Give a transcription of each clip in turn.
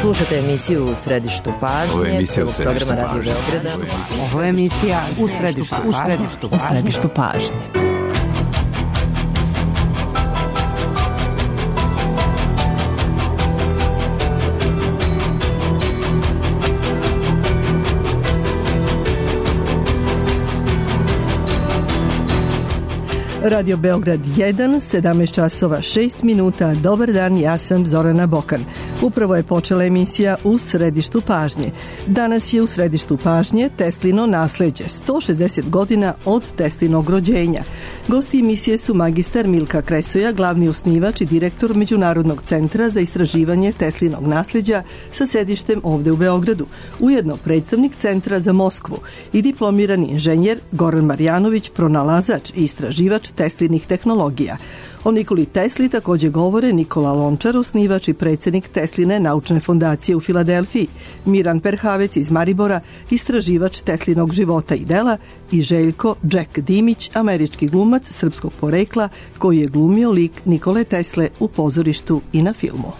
Slušate emisiju U središtu pažnje, programa Radio Beograda. Ovo je emisija U središtu pažnje. Radio Beograd 1, 17 časova 6 minuta. Dobar dan, ja sam Zorana Bokan. Upravo je počela emisija U središtu pažnje. Danas je u središtu pažnje Teslino nasleđe, 160 godina od Teslinog rođenja. Gosti emisije su magistar Milka Kresoja, glavni osnivač i direktor Međunarodnog centra za istraživanje Teslinog nasleđa sa sedištem ovde u Beogradu, ujedno predstavnik Centra za Moskvu i diplomirani inženjer Goran Marjanović, pronalazač i istraživač Teslinih tehnologija. O Nikoli Tesli također govore Nikola Lončar, osnivač i predsjednik Tesline naučne fondacije u Filadelfiji, Miran Perhavec iz Maribora, istraživač Teslinog života i dela, i Željko Jack Dimić, američki glumac srpskog porekla koji je glumio lik Nikole Tesle u pozorištu i na filmu.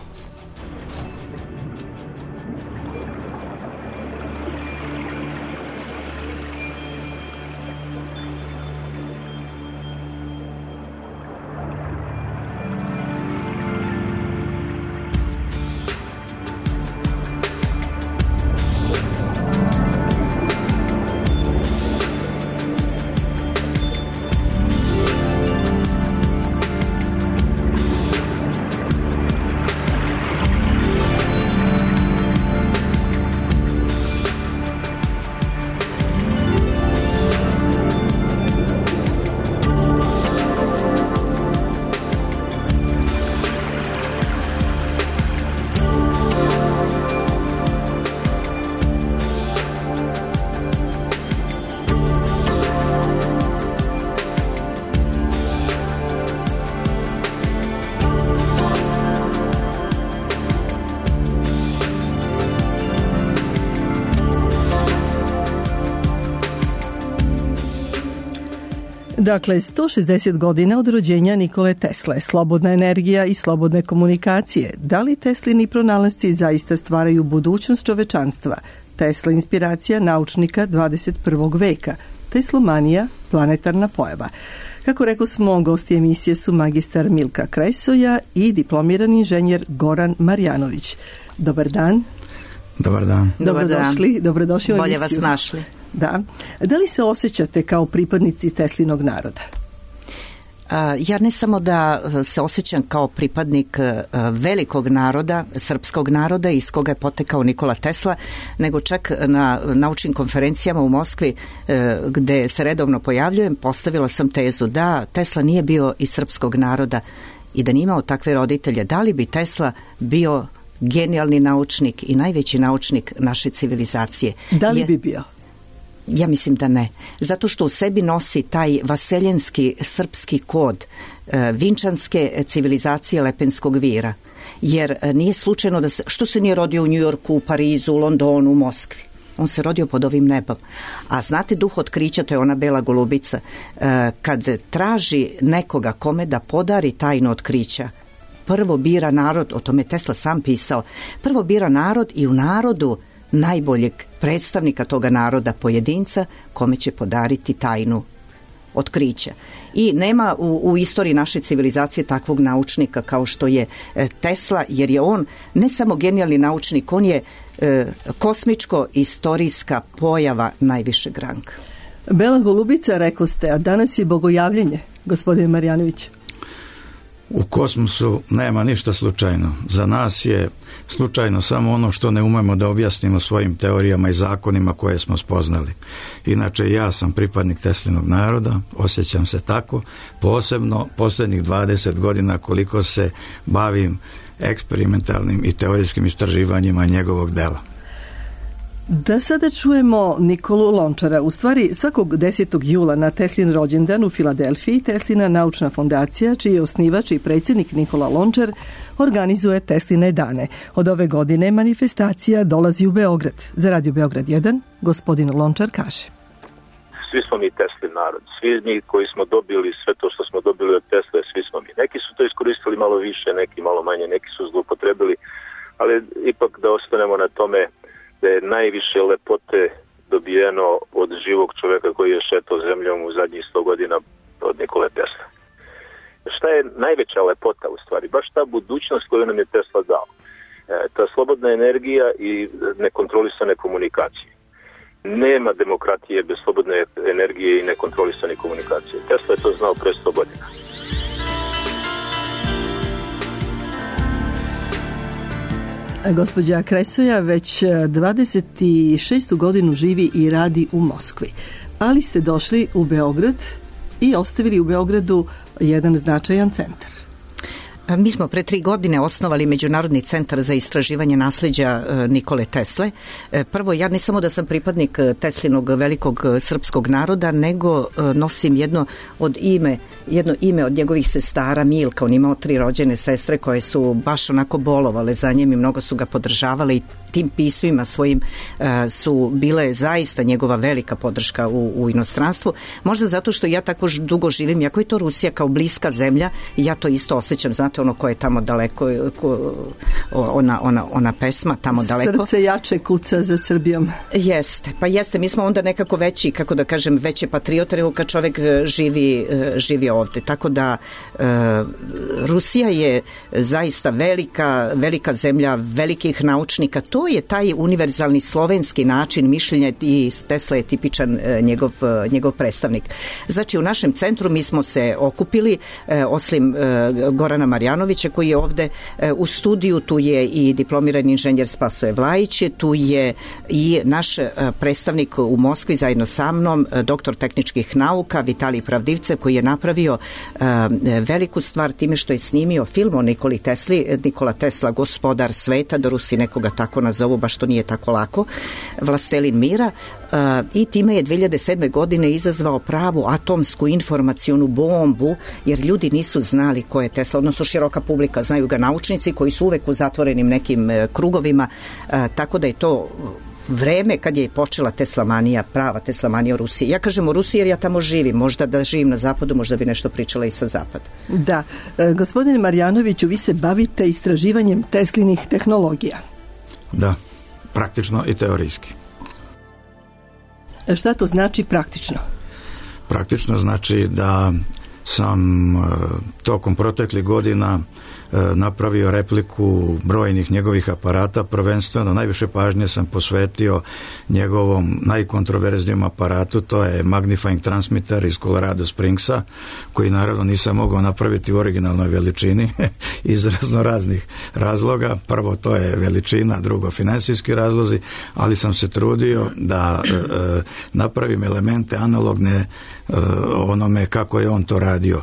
Dakle, 160 godina od rođenja Nikole Tesle, slobodna energija i slobodne komunikacije. Da li Teslini pronalasci zaista stvaraju budućnost čovečanstva? Tesla inspiracija naučnika 21. veka. Teslomanija, planetarna pojava. Kako rekao smo, gosti emisije su magistar Milka Kresoja i diplomirani inženjer Goran Marjanović. Dobar dan. Dobar dan. Dobrodošli u emisiju. Bolje vas našli. Da. Da li se osjećate kao pripadnici Teslinog naroda? Ja ne samo da se osjećam kao pripadnik velikog naroda, srpskog naroda iz koga je potekao Nikola Tesla, nego čak na naučnim konferencijama u Moskvi gde se redovno pojavljujem, postavila sam tezu da Tesla nije bio iz srpskog naroda i da nije imao takve roditelje. Da li bi Tesla bio genijalni naučnik i najveći naučnik naše civilizacije? Da li bi bio? Ja mislim da ne. Zato što u sebi nosi taj vaseljenski srpski kod vinčanske civilizacije Lepenskog vira. Jer nije slučajno da što se nije rodio u Njujorku, u Parizu, u Londonu, u Moskvi. On se rodio pod ovim nebom. A znate, duh otkrića, to je ona bela golubica, kad traži nekoga kome da podari tajno otkrića, prvo bira narod, o tome Tesla sam pisao, prvo bira narod i u narodu najboljeg predstavnika toga naroda, pojedinca, kome će podariti tajnu otkrića. I nema u istoriji naše civilizacije takvog naučnika kao što je Tesla, jer je on ne samo genijalni naučnik, on je kosmičko-istorijska pojava najvišeg ranga. Bela golubica, rekao ste, a danas je bogojavljenje, gospodine Marjanović. U kosmosu nema ništa slučajno. Za nas je slučajno samo ono što ne umemo da objasnimo svojim teorijama i zakonima koje smo spoznali. Inače, ja sam pripadnik Teslinog naroda, osjećam se tako, posebno posljednjih 20 godina koliko se bavim eksperimentalnim i teorijskim istraživanjima njegovog dela. Da sada čujemo Nikolu Lončara. U stvari, svakog 10. jula na Teslin rođendan u Filadelfiji Teslina naučna fondacija, čiji je osnivač i predsjednik Nikola Lončar, organizuje Tesline dane. Od ove godine manifestacija dolazi u Beograd. Za Radio Beograd 1, gospodin Lončar kaže: Svi smo mi Teslin narod. Svi mi koji smo dobili sve to što smo dobili od Tesle, svi smo mi. Neki su to iskoristili malo više, neki malo manje, neki su zloupotrebili ali ipak da ostanemo na tome da je najviše lepote dobijeno od živog čovjeka koji je šetao zemljom u zadnjih 100 godina, od Nikole Tesla. Šta je najveća lepota u stvari? Baš ta budućnost koju nam je Tesla dao. Ta slobodna energija i nekontrolisane komunikacije. Nema demokratije bez slobodne energije i nekontrolisane komunikacije. Tesla je to znao pre 100 godina. Gospođa Kresoja već 26. godinu živi i radi u Moskvi, ali ste došli u Beograd i ostavili u Beogradu jedan značajan centar. Mi smo pre 3 godine osnovali Međunarodni centar za istraživanje nasleđa Nikole Tesle. Prvo, ja ne samo da sam pripadnik Teslinog velikog srpskog naroda, nego nosim jedno ime od njegovih sestara, Milka. On imao 3 rođene sestre koje su baš onako bolovale za njim i mnogo su ga podržavale i tim pismima svojim su bile zaista njegova velika podrška u inostranstvu. Možda zato što ja tako dugo živim, jako je to Rusija kao bliska zemlja i ja to isto osjećam, znate ono ko je tamo daleko, ona pesma tamo daleko. Srce jače kuca za Srbijom. Jeste, mi smo onda nekako veći, kako da kažem, veće patriote nego kad čovjek živi ovdje. Tako da Rusija je zaista velika zemlja velikih naučnika. To je taj univerzalni slovenski način mišljenja i Tesla je tipičan njegov predstavnik. Znači u našem centru mi smo se okupili, osim Gorana Marjanovića koji je ovdje u studiju, tu je i diplomirani inženjer Spasoje Vlajić, tu je i naš predstavnik u Moskvi zajedno sa mnom, doktor tehničkih nauka Vitalij Pravdivcev, koji je napravio veliku stvar time što je snimio film o Nikoli Tesli, Nikola Tesla, gospodar sveta, da Rusi nekoga tako nazovu, baš to nije tako lako, vlastelin mira, i time je 2007. godine izazvao pravu atomsku informacionu bombu, jer ljudi nisu znali ko je Tesla, odnosno široka publika, znaju ga naučnici koji su uvek u zatvorenim nekim krugovima, tako da je to vreme kad je počela teslamanija, prava teslamanija u Rusiji. Ja kažem u Rusiji jer ja tamo živim, možda da živim na zapadu, možda bi nešto pričala i sa zapada. Da, gospodine Marjanoviću, vi se bavite istraživanjem Teslinih tehnologija. Da, praktično i teorijski. Šta to znači praktično? Praktično znači da sam tokom proteklih godina napravio repliku brojnih njegovih aparata, prvenstveno najviše pažnje sam posvetio njegovom najkontroverznijem aparatu, to je magnifying transmitter iz Colorado Springsa, koji naravno nisam mogao napraviti u originalnoj veličini iz raznih razloga. Prvo, to je veličina, drugo, finansijski razlozi, ali sam se trudio da napravim elemente analogne onome kako je on to radio.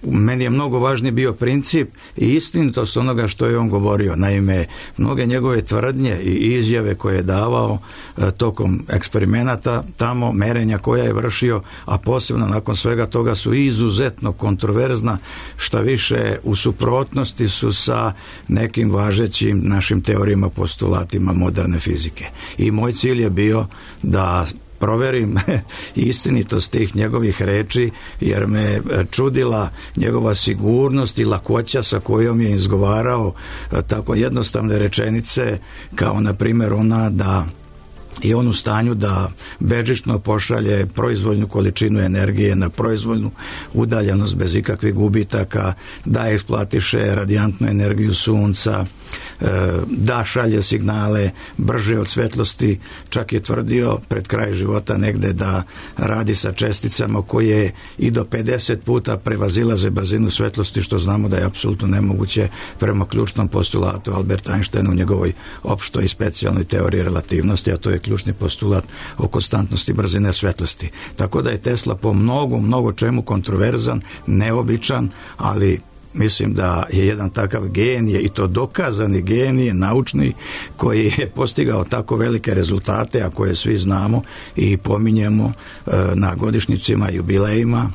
Meni je mnogo važniji bio princip i istinitost onoga što je on govorio. Naime, mnoge njegove tvrdnje i izjave koje je davao tokom eksperimenata, tamo merenja koja je vršio, a posebno nakon svega toga su izuzetno kontroverzna, šta više u suprotnosti su sa nekim važećim našim teorijama, postulatima moderne fizike. I moj cilj je bio da proverim istinitost tih njegovih reči, jer me čudila njegova sigurnost i lakoća sa kojom je izgovarao tako jednostavne rečenice, kao na primjer ona da je on u stanju da bežično pošalje proizvoljnu količinu energije na proizvoljnu udaljenost bez ikakvih gubitaka, da eksploatiše radijantnu energiju sunca, da šalje signale brže od svetlosti, čak je tvrdio pred kraj života negde da radi sa česticama koje i do 50 puta prevazilaze brzinu svetlosti, što znamo da je apsolutno nemoguće prema ključnom postulatu Alberta Einsteina u njegovoj opštoj i specijalnoj teoriji relativnosti, a to je ključni postulat o konstantnosti brzine svetlosti. Tako da je Tesla po mnogo čemu kontroverzan, neobičan, ali mislim da je jedan takav genije, i to dokazani genije, naučni, koji je postigao tako velike rezultate, a koje svi znamo i pominjemo na godišnjicima i jubilejima,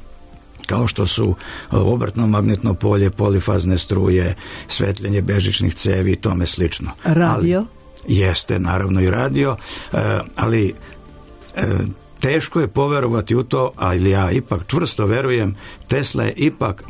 kao što su obrtno magnetno polje, polifazne struje, svetljenje bežičnih cevi i tome slično. Radio? Jeste, naravno i radio, ali teško je poverovati u to, ali ja ipak čvrsto verujem, Tesla je ipak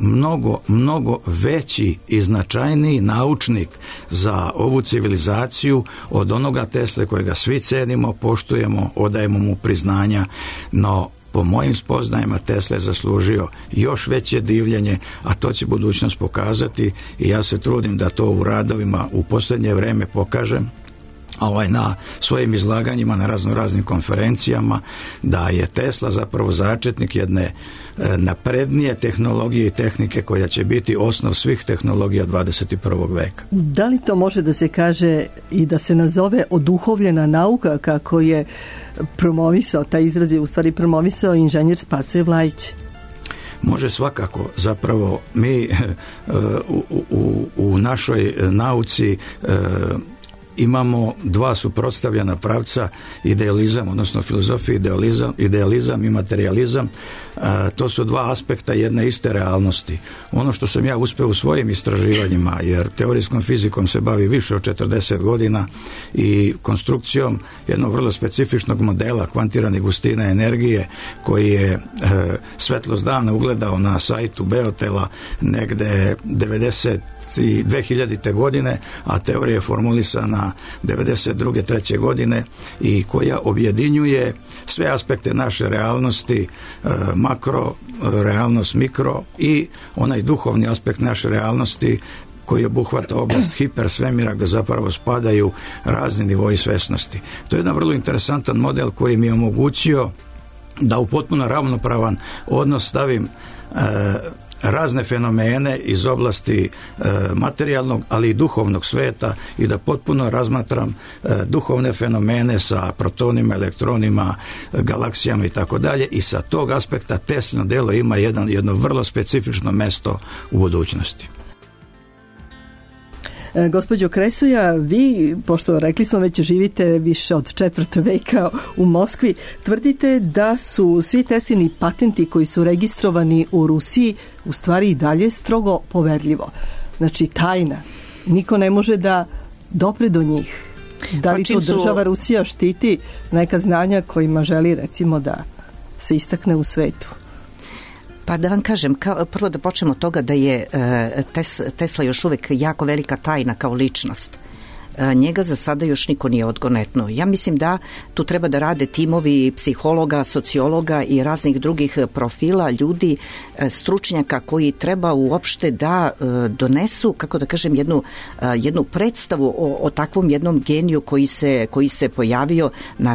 mnogo veći i značajniji naučnik za ovu civilizaciju od onoga Tesle kojega svi cenimo, poštujemo, odajemo mu priznanja, no po mojim spoznajima Tesla je zaslužio još veće divljenje, a to će budućnost pokazati i ja se trudim da to u radovima u posljednje vrijeme pokažem na svojim izlaganjima na raznim konferencijama, da je Tesla zapravo začetnik jedne naprednije tehnologije i tehnike koja će biti osnov svih tehnologija 21. veka. Da li to može da se kaže i da se nazove oduhovljena nauka, kako je promovisao, taj izraz je u stvari promovisao inženjer Spasoje Vlajić? Može svakako. Zapravo mi u našoj nauci imamo dva suprotstavljena pravca, idealizam, odnosno filozofija, idealizam i materijalizam. To su dva aspekta jedne iste realnosti. Ono što sam ja uspeo u svojim istraživanjima, jer teorijskom fizikom se bavi više od 40 godina i konstrukcijom jednog vrlo specifičnog modela kvantirane gustine energije, koji je svetlost dana ugledao na sajtu Beotela negde 2000. godine, a teorija je formulisana 92. 3. godine i koja objedinjuje sve aspekte naše realnosti, makro, realnost mikro i onaj duhovni aspekt naše realnosti koji obuhvata oblast hipersvemira, gdje zapravo spadaju razni nivoi svesnosti. To je jedan vrlo interesantan model koji mi je omogućio da u potpuno ravnopravan odnos stavim razne fenomene iz oblasti materijalnog, ali i duhovnog sveta i da potpuno razmatram duhovne fenomene sa protonima, elektronima, galaksijama i tako dalje, i sa tog aspekta Teslino delo ima jedno vrlo specifično mesto u budućnosti. Gospođo Kresoja, vi, pošto rekli smo već živite više od 4. veka u Moskvi, tvrdite da su svi Teslini patenti koji su registrovani u Rusiji u stvari i dalje strogo poverljivo. Znači tajna. Niko ne može da dopre do njih. Da li to država Rusija štiti neka znanja kojima želi recimo da se istakne u svetu? Pa da vam kažem, prvo da počnemo od toga da je Tesla još uvijek jako velika tajna kao ličnost. Njega za sada još niko nije odgonetnuo. Ja mislim da tu treba da rade timovi psihologa, sociologa i raznih drugih profila, ljudi, stručnjaka koji treba uopšte da donesu, kako da kažem, jednu predstavu o takvom jednom geniju koji se pojavio na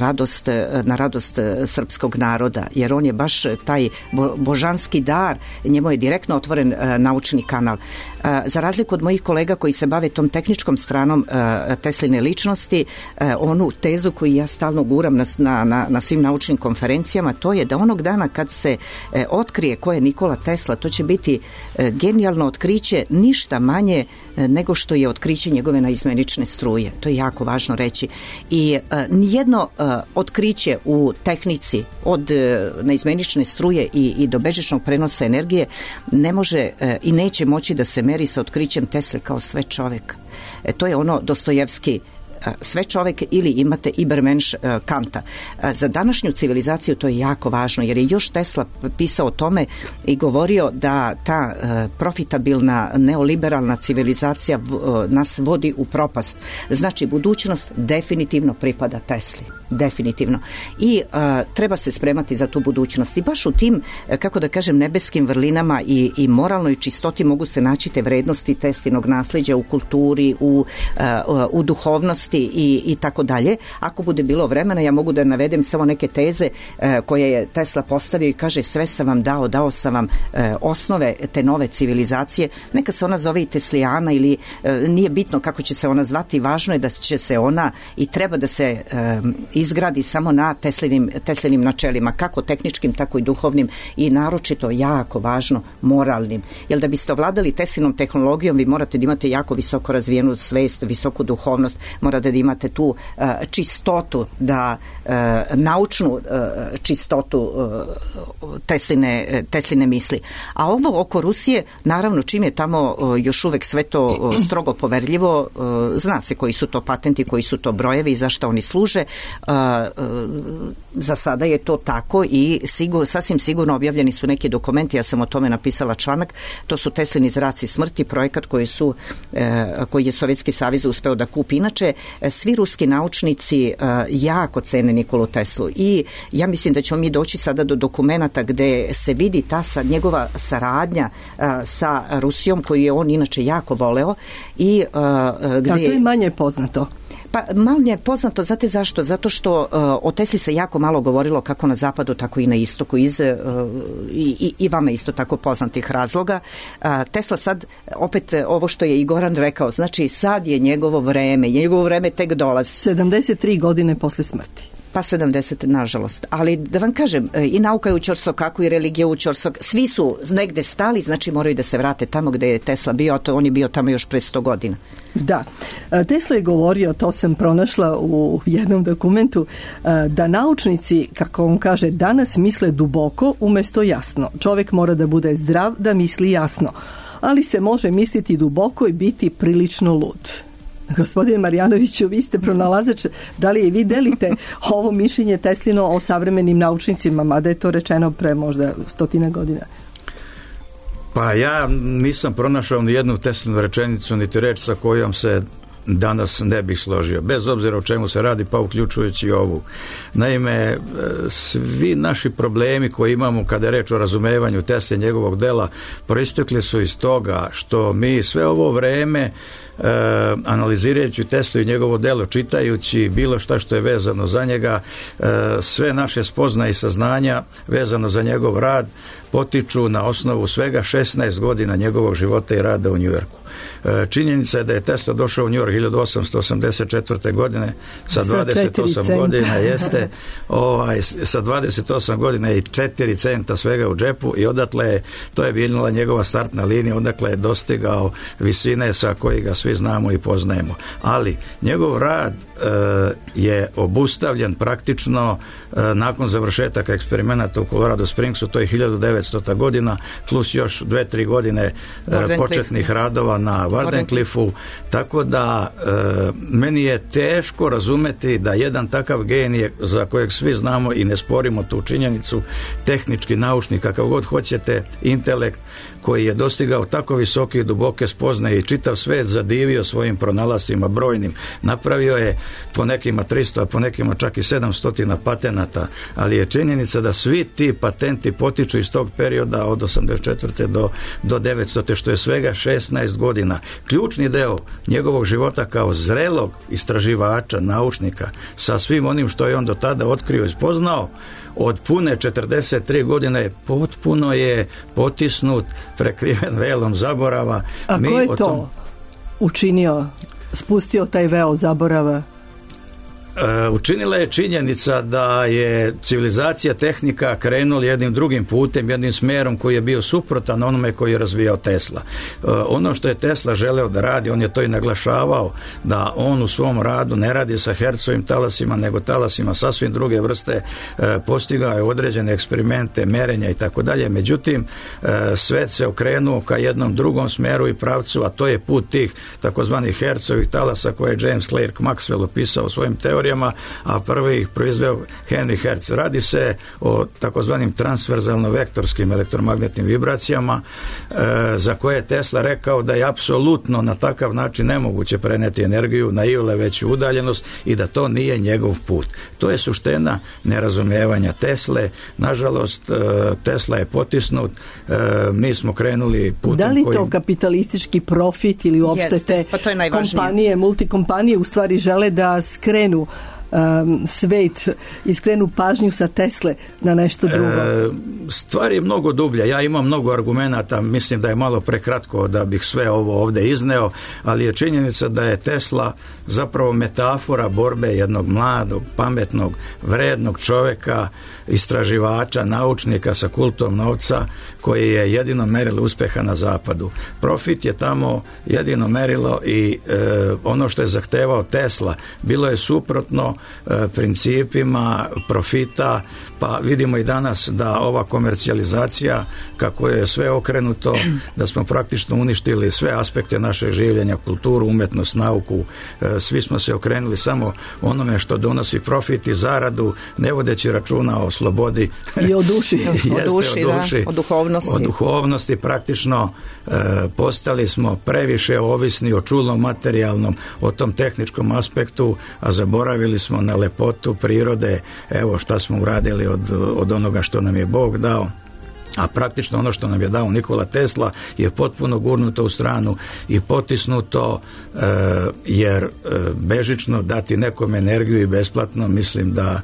radost srpskog naroda, jer on je baš taj božanski dar, njemu je direktno otvoren naučni kanal. Za razliku od mojih kolega koji se bave tom tehničkom stranom Tesline ličnosti, onu tezu koju ja stalno guram na svim naučnim konferencijama, to je da onog dana kad se otkrije ko je Nikola Tesla, to će biti genijalno otkriće, ništa manje nego što je otkriće njegove naizmenične struje. To je jako važno reći. I nijedno otkriće u tehnici od naizmenične struje i do bežičnog prenosa energije ne može i neće moći da se meri sa otkrićem Tesle kao sve čovjek. To je ono Dostojevski, sve čovjek, ili imate Ibermensch Kanta. Za današnju civilizaciju to je jako važno, jer je još Tesla pisao o tome i govorio da ta profitabilna neoliberalna civilizacija nas vodi u propast. Znači, budućnost definitivno pripada Tesli. Definitivno. I treba se spremati za tu budućnost. I baš u tim, kako da kažem, nebeskim vrlinama i moralnoj čistoti mogu se naći te vrednosti Teslinog nasljeđa u kulturi, u duhovnosti i tako dalje. Ako bude bilo vremena, ja mogu da navedem samo neke teze koje je Tesla postavio i kaže: sve sam vam dao sam vam osnove te nove civilizacije. Neka se ona zove i Teslijana ili nije bitno kako će se ona zvati, važno je da će se ona i treba da se izgradi samo na Teslinim načelima, kako tehničkim, tako i duhovnim, i naročito jako važno moralnim. Jer da biste ovladali Teslinom tehnologijom, vi morate da imate jako visoko razvijenu svest, visoku duhovnost, morate da imate tu čistotu, da naučnu čistotu Tesline misli. A ovo oko Rusije, naravno, čim je tamo još uvek sve to strogo poverljivo, zna se koji su to patenti, koji su to brojevi i za šta oni služe. za sada je to tako i sasvim sigurno objavljeni su neki dokumenti, ja sam o tome napisala članak, to su Teslini zraci smrti, projekat koji je Sovjetski savez uspeo da kupi. Inače, svi ruski naučnici jako cene Nikolu Teslu i ja mislim da ćemo mi doći sada do dokumenata gde se vidi ta njegova saradnja sa Rusijom, koju je on inače jako voleo. I, gde... to je manje poznato. Pa manje je poznato, znate zašto? Zato što o Tesli se jako malo govorilo kako na zapadu, tako i na istoku, i vama isto tako poznatih razloga. Tesla sad, opet ovo što je i Goran rekao, znači sad je njegovo vreme tek dolazi. 73 godine posle smrti. Pa 70, nažalost. Ali da vam kažem, i nauka je u ćorsokaku i religija u ćorsok, svi su negde stali, znači moraju da se vrate tamo gde je Tesla bio, a on je bio tamo još pre 100 godina. Da. Tesla je govorio, to sam pronašla u jednom dokumentu, da naučnici, kako on kaže, danas misle duboko umesto jasno. Čovjek mora da bude zdrav, da misli jasno. Ali se može misliti duboko i biti prilično lud. Gospodine Marjanoviću, vi ste pronalazač, da li vi delite ovo mišljenje Teslino o savremenim naučnicima, mada je to rečeno pre možda 100 godina? Pa ja nisam pronašao ni jednu Teslinu rečenicu, niti reč sa kojom se danas ne bih složio, bez obzira o čemu se radi, pa uključujući ovu. Naime, svi naši problemi koje imamo kada je reč o razumevanju Tesle i njegovog dela proistekli su iz toga što mi sve ovo vreme analizirajući Teslu i njegovo delo, čitajući bilo šta što je vezano za njega, sve naše spoznaje i saznanja vezano za njegov rad potiču na osnovu svega 16 godina njegovog života i rada u Njujorku. Činjenica je da je Tesla došao u New York 1884. godine sa 28 godina jeste sa 28 godina i 4 centa svega u džepu i odatle to je bila njegova startna linija, odakle je dostigao visine sa koji ga svi znamo i poznajemo. Ali njegov rad je obustavljen praktično nakon završetaka eksperimenata u Colorado Springsu, to je 1900. godina, plus još 2-3 godine početnih radova na Wardenclyffu, tako da meni je teško razumeti da jedan takav genije za kojeg svi znamo i ne sporimo tu činjenicu, tehnički naučnik, kakav god hoćete, intelekt, koji je dostigao tako visoke i duboke spoznaje i čitav svet zadivio svojim pronalascima brojnim. Napravio je po nekima 300, a po nekima čak i 700 patenata, ali je činjenica da svi ti patenti potiču iz tog perioda od 84. do 900. što je svega 16 godina. Ključni deo njegovog života kao zrelog istraživača, naučnika, sa svim onim što je on do tada otkrio i spoznao, od pune 43 godine potpuno je potisnut, prekriven velom zaborava. A ko je to učinio, spustio taj veo zaborava? Učinila je činjenica da je civilizacija, tehnika krenula jednim drugim putem, jednim smjerom koji je bio suprotan onome koji je razvijao Tesla. Ono što je Tesla želeo da radi, on je to i naglašavao, da on u svom radu ne radi sa Hercovim talasima, nego talasima sasvim druge vrste, postigao je određene eksperimente, merenja i tako dalje. Međutim, svet se okrenuo ka jednom drugom smjeru i pravcu, a to je put tih takozvanih Hercovih talasa koje je James Clerk Maxwell opisao u svojim teorijama, a prvi ih proizveo Henry Hertz. Radi se o takozvanim transverzalno-vektorskim elektromagnetnim vibracijama za koje je Tesla rekao da je apsolutno na takav način nemoguće preneti energiju na iole veću udaljenost i da to nije njegov put. To je suština nerazumijevanja Tesle. Nažalost, Tesla je potisnut. Mi smo krenuli putem da li to kapitalistički profit ili uopšte te kompanije, multikompanije u stvari žele da skrenu svet i skrenu pažnju sa Tesle na nešto drugo? Stvar je mnogo dublja. Ja imam mnogo argumenata, mislim da je malo prekratko da bih sve ovo ovdje izneo, ali je činjenica da je Tesla zapravo metafora borbe jednog mladog, pametnog, vrednog čovjeka, istraživača, naučnika sa kultom novca, koje je jedino merilo uspeha na zapadu. Profit je tamo jedino merilo i ono što je zahtevao Tesla bilo je suprotno principima profita, pa vidimo i danas da ova komercijalizacija, kako je sve okrenuto, da smo praktično uništili sve aspekte našeg življenja, kulturu, umetnost, nauku, svi smo se okrenuli samo onome što donosi profit i zaradu, ne vodeći računa o slobodi i o duši. O duhovnosti. Praktično postali smo previše ovisni o čulnom materijalnom, o tom tehničkom aspektu, a zaboravili smo na lepotu prirode. Evo šta smo uradili od onoga što nam je Bog dao. A praktično ono što nam je dao Nikola Tesla je potpuno gurnuto u stranu i potisnuto, jer bežično dati nekom energiju i besplatno, mislim da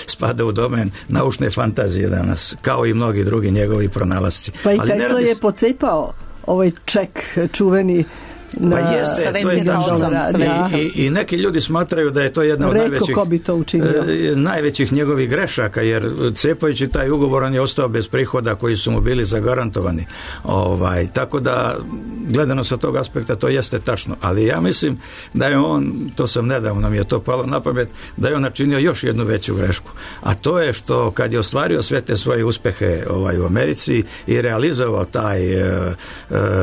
spada u domen naučne fantazije danas, kao i mnogi drugi njegovi pronalasci. Pa i Tesla je pocepao ovaj ček čuveni pa jeste, to je i neki ljudi smatraju da je to jedna od najvećih njegovih grešaka, jer cepajući taj ugovor on je ostao bez prihoda koji su mu bili zagarantovani. Tako da gledano sa tog aspekta to jeste tačno, ali ja mislim da je on, to sam nedavno mi je to palo na pamet, da je on načinio još jednu veću grešku, a to je što kad je ostvario sve te svoje uspehe u Americi i realizovao taj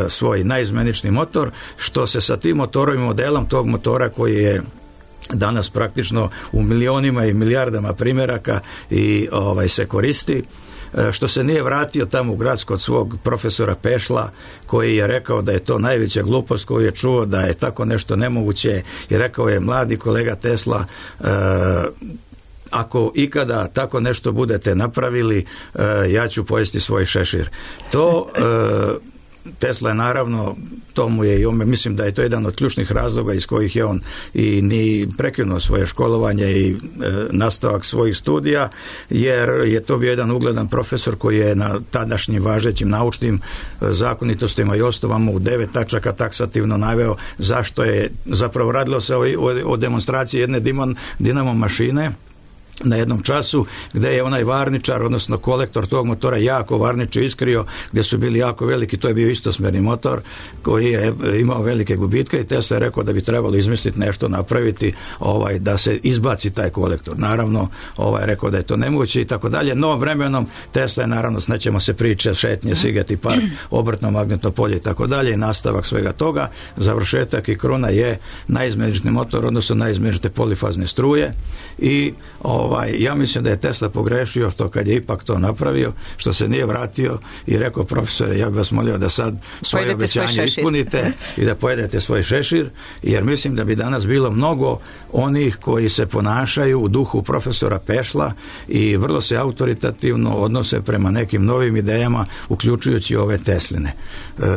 svoj naizmenični motor, što se sa tim motorom i modelom tog motora koji je danas praktično u milionima i milijardama primjeraka i se koristi, što se nije vratio tamo u grad kod svog profesora Pešla, koji je rekao da je to najveća glupost koju je čuo, da je tako nešto nemoguće, i rekao je: mladi kolega Tesla, ako ikada tako nešto budete napravili, ja ću pojesti svoj šešir. To Tesla je naravno, tomu je i on, mislim da je to jedan od ključnih razloga iz kojih je on i ni prekinuo svoje školovanje i nastavak svojih studija, jer je to bio jedan ugledan profesor koji je na tadašnjim važećim naučnim zakonitostima i osnovama u 9 tačaka taksativno naveo zašto je, zapravo radilo se o demonstraciji jedne dinamo mašine na jednom času, gdje je onaj varničar, odnosno kolektor tog motora jako varniče iskrio, gdje su bili jako veliki, to je bio istosmerni motor koji je imao velike gubitke, i Tesla je rekao da bi trebalo izmisliti nešto, napraviti da se izbaci taj kolektor. Naravno, je rekao da je to nemoguće i tako dalje, no vremenom Tesla je, naravno, snećemo se priče, šetnje, Sigeti park, obrtno magnetno polje i tako dalje, i nastavak svega toga, završetak i kruna je naizmenični motor, odnosno naizmenične polifazne struje. I ja mislim da je Tesla pogrešio to kad je ipak to napravio, što se nije vratio i rekao: profesore, ja bih vas molio da sad svoje obećanje ispunite i da pojedete svoj šešir, jer mislim da bi danas bilo mnogo onih koji se ponašaju u duhu profesora Pešla i vrlo se autoritativno odnose prema nekim novim idejama, uključujući ove Tesline.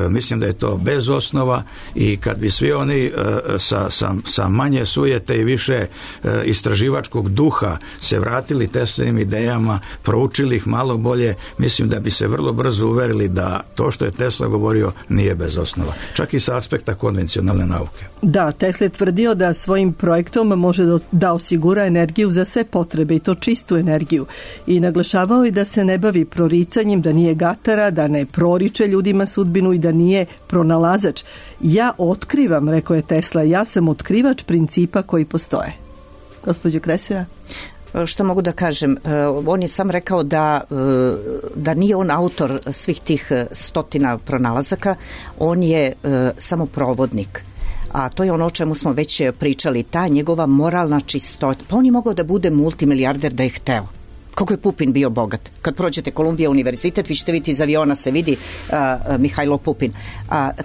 Mislim da je to bez osnova, i kad bi svi oni sa manje sujete i više istraživačkog duha se vratili Teslinim idejama, proučili ih malo bolje, mislim da bi se vrlo brzo uverili da to što je Tesla govorio nije bez osnova, čak i sa aspekta konvencionalne nauke. Da, Tesla je tvrdio da svojim projektom može da osigura energiju za sve potrebe, i to čistu energiju, i naglašavao je da se ne bavi proricanjem, da nije gatara, da ne proriče ljudima sudbinu i da nije pronalazač. Ja otkrivam, rekao je Tesla, ja sam otkrivač principa koji postoje. Gospođo Kresija? Što mogu da kažem? On je sam rekao da nije on autor svih tih stotina pronalazaka, on je samo provodnik. A to je ono o čemu smo već pričali, ta njegova moralna čistota. Pa on je mogao da bude multimilijarder da je hteo. Kako je Pupin bio bogat. Kad prođete Kolumbija univerzitet, vi ćete vidjeti iz aviona se vidi Mihajlo Pupin.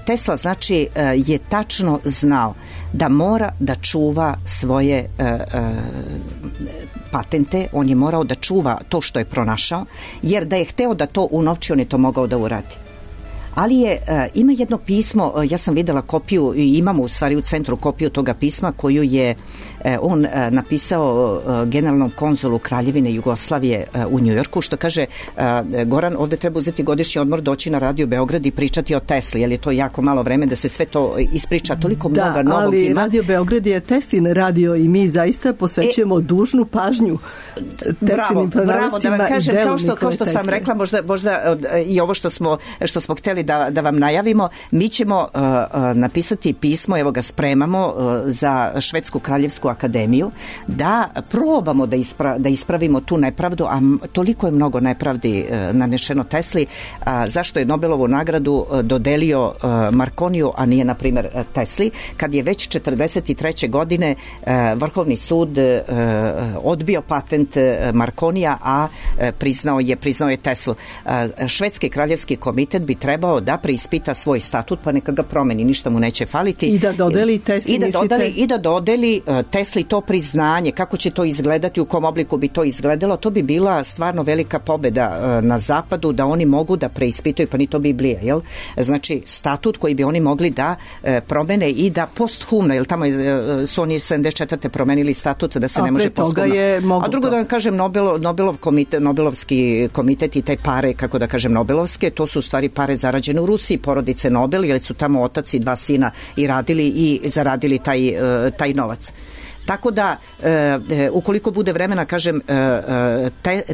Tesla, znači, je tačno znao da mora da čuva svoje patente, on je morao da čuva to što je pronašao, jer da je hteo da to unovči, on je to mogao da uradi. Ali ima jedno pismo, ja sam videla kopiju i imamo u stvari u centru kopiju toga pisma koju je on napisao generalnom konzulu Kraljevine Jugoslavije u Njujorku, što kaže Goran, ovde treba uzeti godišnji odmor, doći na Radio Beograd i pričati o Tesli, jer je to jako malo vreme da se sve to ispriča, toliko mnogo novog ima. Da, ali Radio Beograd je Teslin radio i mi zaista posvećujemo dužnu pažnju Teslinim pronalazcima i delu Nikole kao što sam rekla, možda i ovo što smo hteli da vam najavimo, mi ćemo napisati pismo, evo ga spremamo za Švedsku kraljevsku akademiju, da probamo da ispravimo tu nepravdu, a toliko je mnogo nepravdi nanešeno Tesli, zašto je Nobelovu nagradu dodelio Marconiju, a nije na primjer Tesli, kad je već 43. godine Vrhovni sud odbio patent Marconija, a priznao je Teslu. Švedski kraljevski komitet bi trebao da preispita svoj statut, pa neka ga promeni, ništa mu neće faliti. I da dodeli Tesli, I da dodeli Tesli to priznanje, kako će to izgledati, u kom obliku bi to izgledalo, to bi bila stvarno velika pobeda na zapadu, da oni mogu da preispitaju, pa ni to Biblija, jel? Znači, statut koji bi oni mogli da promene i da posthumno, jel tamo su oni 74. promenili statut da se ne može posthumno. A drugo da vam kažem, Nobelovski komitet i te pare, kako da kažem Nobelovske, to su u stvari pare zarađene u Rusiji, porodice Nobel, jer su tamo otac i 2 sina i radili i zaradili taj novac. Tako da, ukoliko bude vremena, kažem,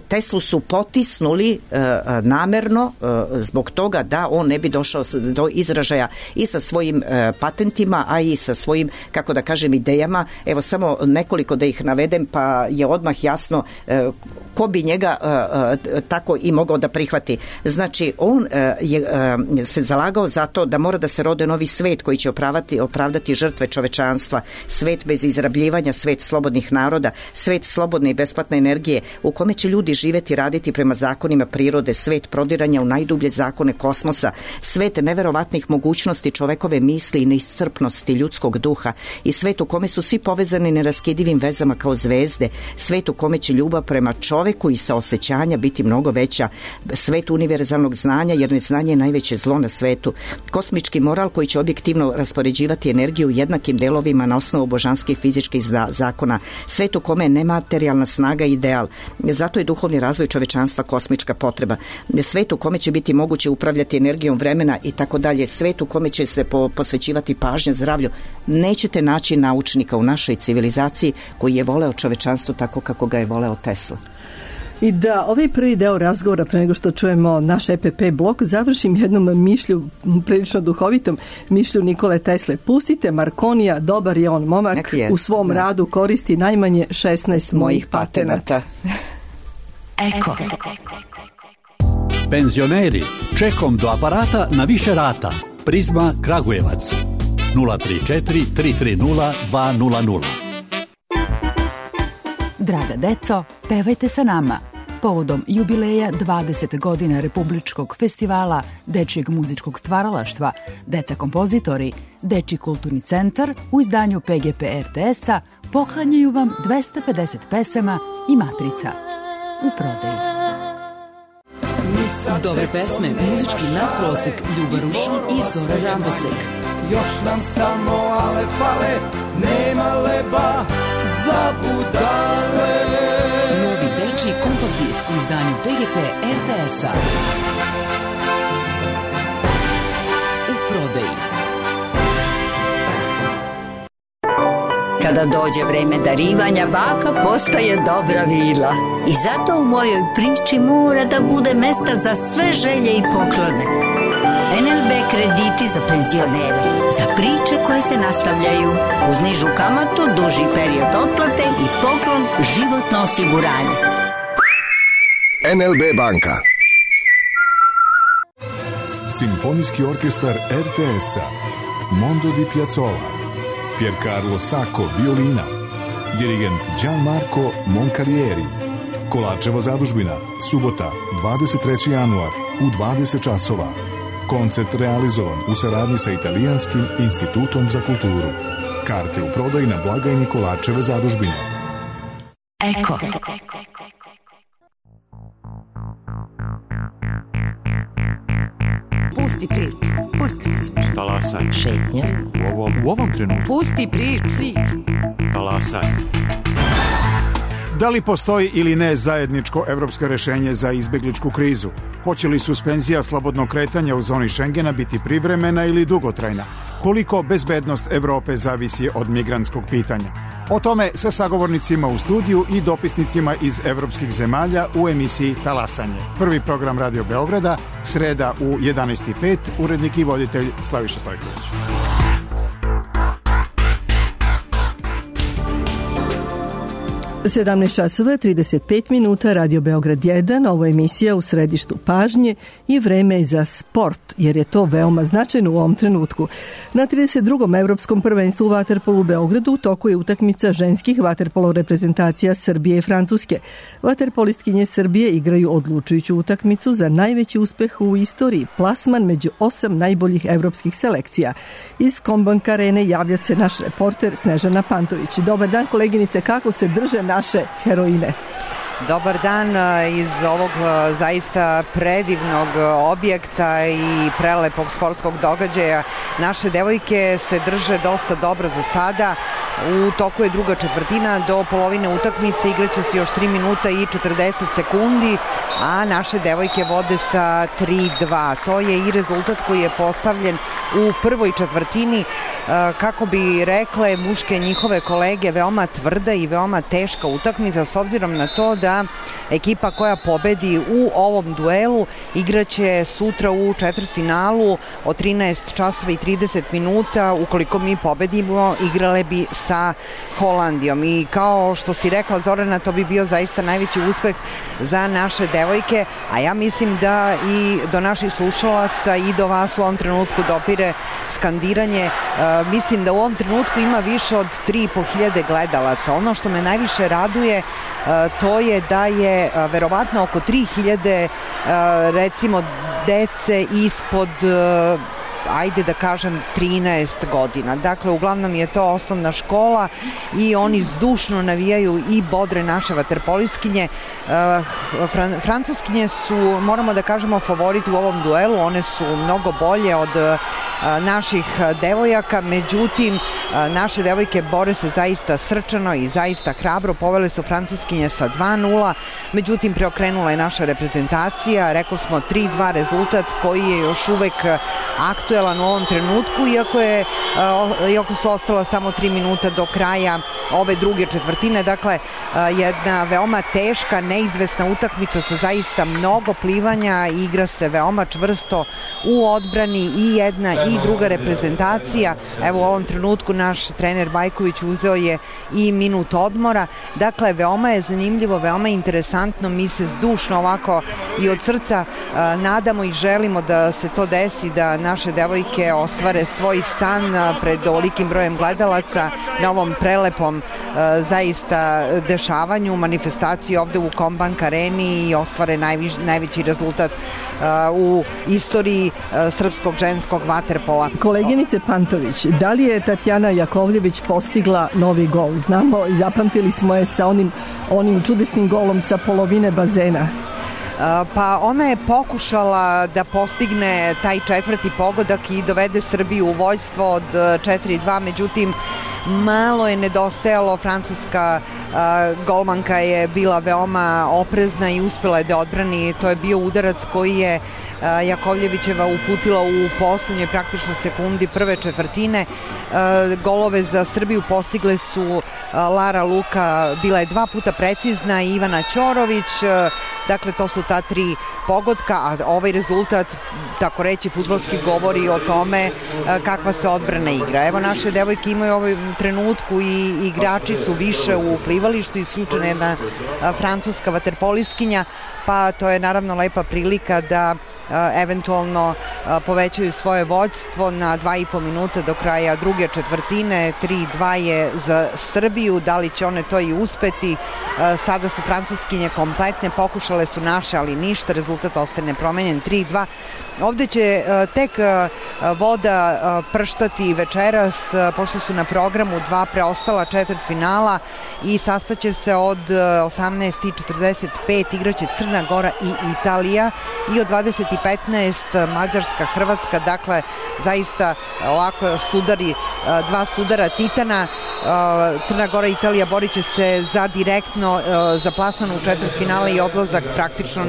Teslu su potisnuli namerno zbog toga da on ne bi došao do izražaja i sa svojim patentima, a i sa svojim, kako da kažem, idejama. Evo samo nekoliko da ih navedem, pa je odmah jasno ko bi njega tako i mogao da prihvati. Znači, on se zalagao za to da mora da se rode novi svet koji će opravdati žrtve čovečanstva, svet bez izrabljivanja, svet slobodnih naroda, svet slobodne i besplatne energije u kome će ljudi živeti, raditi prema zakonima prirode, svet prodiranja u najdublje zakone kosmosa, svet neverovatnih mogućnosti čovekove misli i neiscrpnosti ljudskog duha i svet u kome su svi povezani neraskidivim vezama kao zvezde, svet u kome će ljubav prema čoveku i saosećanja biti mnogo veća, svet univerzalnog znanja, jer neznanje je najveće zlo na svetu, kosmički moral koji će objektivno raspoređivati energiju u jednakim delovima na osnovu božanskih fizičkih zakona, svet u kome je nematerijalna snaga ideal, zato je duhovni razvoj čovečanstva kosmička potreba, svet u kome će biti moguće upravljati energijom vremena i tako dalje, svet u kome će se posvećivati pažnja zdravlju. Nećete naći naučnika u našoj civilizaciji koji je voleo čovečanstvo tako kako ga je voleo Tesla. I da ovaj prvi deo razgovora, pre nego što čujemo naš EPP blok, završim jednom mišlju, prilično duhovitom mišlju Nikole Tesle. Pustite Marconija, dobar je on momak, u svom radu koristi najmanje 16 mojih patenata. Eko. Penzioneri, čekom do aparata na više rata. Prizma Kragujevac 034 330 200. Draga deco, pevajte sa nama. Povodom jubileja 20 godina Republičkog festivala dečijeg muzičkog stvaralaštva, Deca kompozitori, Dečiji kulturni centar u izdanju PGP RTS-a poklanjaju vam 250 pesama i matrica u prodaji. Dobre pesme, muzički nadprosek, Ljuba Rušon i Zora Rambosek. Još nam samo ale fale, nema leba za budale. Novi dečiji kompakt disk u izdanju PGP RTS-a. U prodaji. Kada dođe vreme darivanja, baka postaje dobra vila. I zato u mojoj priči mora da bude mesta za sve želje i poklone. NLB krediti za penzionere, za priče koje se nastavljaju, uz nižu kamatu, duži period otplate i poklon životno osiguranje. NLB banka. Simfonijski orkestar RTS-a, Mondo di Piazzolla, Piercarlo Sacco violina, dirigent Gianmarco Moncalieri. Kolačeva zadužbina, subota, 23. januar u 20 časova. Koncert realizovan u saradnji sa Italijanskim institutom za kulturu. Karte u prodaji na blagajni Kolačeve zadužbine. Eko. Pusti Pusti priču. Pusti priču. Talasaj. Šetnja. U ovom trenutku. Pusti priču. Talasaj. Da li postoji ili ne zajedničko evropsko rešenje za izbegličku krizu? Hoće li suspenzija slobodnog kretanja u zoni Šengena biti privremena ili dugotrajna? Koliko bezbednost Evrope zavisi od migrantskog pitanja? O tome sa sagovornicima u studiju i dopisnicima iz evropskih zemalja u emisiji Talasanje. Prvi program Radio Beograda, sreda u 11:05, urednik i voditelj Slaviša Stojković. 17 časova 35 minuta, Radio Beograd 1, ovo je emisija u središtu pažnje i vreme za sport, jer je to veoma značajno u ovom trenutku. Na 32. Evropskom prvenstvu u vaterpolu u Beogradu u toku je utakmica ženskih vaterpolo reprezentacija Srbije i Francuske. Vaterpolistkinje Srbije igraju odlučujuću utakmicu za najveći uspeh u istoriji, plasman među 8 najboljih evropskih selekcija. Iz Kombank Arene javlja se naš reporter Snežana Pantović. Dobar dan, koleginice, kako se drže naše heroine? Dobar dan iz ovog zaista predivnog objekta i prelepog sportskog događaja. Naše devojke se drže dosta dobro za sada. U toku je druga četvrtina, do polovine utakmice igraće se još 3 minuta i 40 sekundi, a naše devojke vode sa 3-2. To je i rezultat koji je postavljen u prvoj četvrtini. Kako bi rekle muške njihove kolege, veoma tvrda i veoma teška utakmica, s obzirom na to da ekipa koja pobedi u ovom duelu igraće sutra u četvrtfinalu od 13 časova i 30 minuta. Ukoliko mi pobedimo, igrale bi sa Holandijom. I kao što si rekla, Zorana, to bi bio zaista najveći uspeh za naše devojke, a ja mislim da i do naših slušalaca i do vas u ovom trenutku dopire skandiranje. Mislim da u ovom trenutku ima više od 3.500 gledalaca. Ono što me najviše raduje, to je da je verovatno oko 3.000 recimo dece ispod ajde da kažem 13 godina. Dakle, uglavnom je to osnovna škola i oni zdušno navijaju i bodre naše vaterpoliskinje. Francuskinje su, moramo da kažemo, favoriti u ovom duelu. One su mnogo bolje od naših devojaka, međutim naše devojke bore se zaista srčano i zaista hrabro. Povele su Francuskinje sa 2-0, međutim preokrenula je naša reprezentacija. Rekao smo 3-2 rezultat koji je još uvek aktuelan u ovom trenutku, iako su ostala samo 3 minuta do kraja ove druge četvrtine. Dakle, jedna veoma teška, neizvesna utakmica sa zaista mnogo plivanja. Igra se veoma čvrsto u odbrani i jedna i druga reprezentacija. Evo u ovom trenutku naš trener Bajković uzeo je i minut odmora. Dakle, veoma je zanimljivo, veoma interesantno. Mi se zdušno ovako i od srca nadamo i želimo da se to desi, da naše devojke ostvare svoj san pred ovolikim brojem gledalaca na ovom prelepom zaista dešavanju, manifestaciji ovde u Kombank Areni i ostvare najveći rezultat u istoriji srpskog ženskog vaterpola. Koleginice Pantović, da li je Tatjana Jakovljević postigla novi gol? Znamo i zapamtili smo je sa onim čudesnim golom sa polovine bazena. Pa ona je pokušala da postigne taj četvrti pogodak i dovede Srbiju u vođstvo od 4-2, međutim malo je nedostajalo. Francuska golmanka je bila veoma oprezna i uspela je da odbrani. To je bio udarac koji je Jakovljevićeva uputila u poslednjoj praktično sekundi prve četvrtine. Golove za Srbiju postigle su Lara Luka, bila je 2 puta precizna, i Ivana Ćorović. Dakle, to su ta 3 pogotka, a ovaj rezultat, tako reći, fudbalski govori o tome kakva se odbrana igra. Evo, naše devojke imaju u ovom trenutku i igračicu više u plivalištu, isključena jedna francuska vaterpoliskinja, pa to je naravno lepa prilika da eventualno povećaju svoje vođstvo na 2,5 minuta do kraja druge četvrtine. 3-2 je za Srbiju, da li će one to i uspeti? Sada su francuskinje kompletne, pokušale su naše, ali ništa, rezultat ostaje nepromenjen, 3-2. Ovde će tek voda prštati večeras, pošto su na programu 2 preostala četvrtfinala i sastaće se od 18:45 igraće Crna Gora i Italija i od 20:15 Mađarska, Hrvatska. Dakle, zaista ovako sudari, 2 sudara titana. Crna Gora i Italija borit će se za direktno za plasman u četvrtfinale i odlazak praktično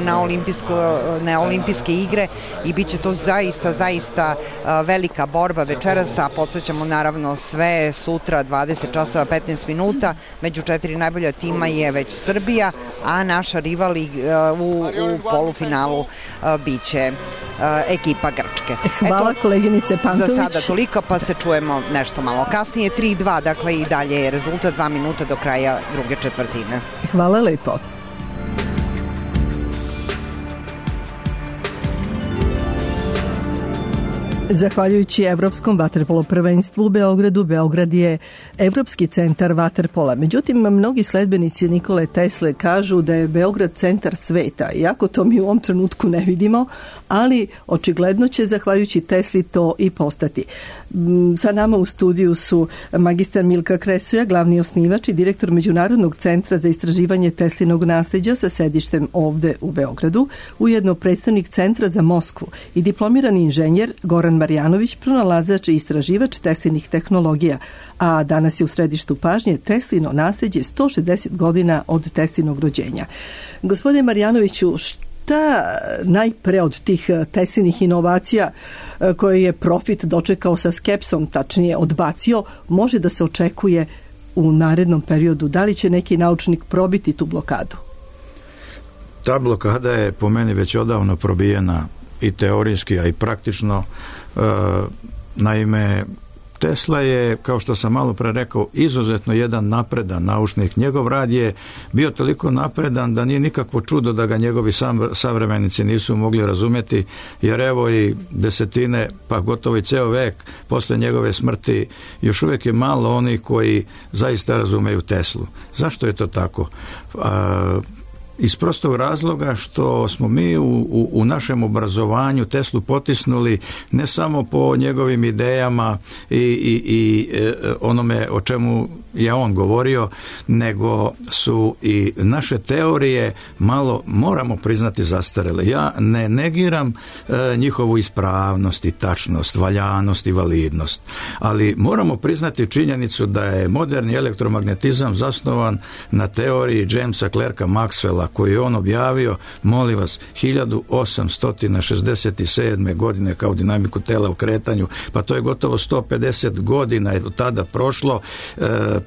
na olimpijske igre i bit će to zaista velika borba večeras, a podsjećamo naravno sve sutra 20 časova 15 minuta. Među 4 najbolja tima je već Srbija, a naša rival u polufinalu biće ekipa Grčke. Hvala koleginice Pantović. Za sada toliko, pa se čujemo nešto malo kasnije. 3:2, dakle i dalje je rezultat, 2 minuta do kraja druge četvrtine. Hvala lepo. Zahvaljujući Evropskom vaterpolo prvenstvu u Beogradu, Beograd je Evropski centar vaterpola. Međutim, mnogi sledbenici Nikole Tesle kažu da je Beograd centar sveta, iako to mi u ovom trenutku ne vidimo, ali očigledno će, zahvaljujući Tesli, to i postati. Sa nama u studiju su magistar Milka Kresoja, glavni osnivač i direktor Međunarodnog centra za istraživanje Teslinog nasleđa sa sedištem ovde u Beogradu, ujedno predstavnik Centra za Moskvu i diplomirani inženjer Goran Marjanović, pronalazač i istraživač Teslinih tehnologija, a danas je u središtu pažnje Teslino nasleđe 160 godina od Teslinog rođenja. Gospodine Marjanoviću, šta najpre od tih Teslinih inovacija koje je profit dočekao sa skepsom, tačnije odbacio, može da se očekuje u narednom periodu? Da li će neki naučnik probiti tu blokadu? Ta blokada je po meni već odavno probijena i teorijski, a i praktično. Naime, Tesla je, kao što sam malo pre rekao, izuzetno jedan napredan naučnik. Njegov rad je bio toliko napredan da nije nikakvo čudo da ga njegovi savremenici nisu mogli razumjeti, jer evo i desetine, pa gotovo i ceo vek posle njegove smrti još uvijek je malo onih koji zaista razumeju Teslu. Zašto je to tako? Iz prostog razloga što smo mi u našem obrazovanju Teslu potisnuli ne samo po njegovim idejama i onome o čemu je on govorio, nego su i naše teorije malo, moramo priznati, zastarele. Ja ne negiram njihovu ispravnost i tačnost, valjanost i validnost, ali moramo priznati činjenicu da je moderni elektromagnetizam zasnovan na teoriji Jamesa Clerka Maxwella, koji je on objavio, molim vas, 1867. godine kao dinamiku tela u kretanju, pa to je gotovo 150 godina je od tada prošlo.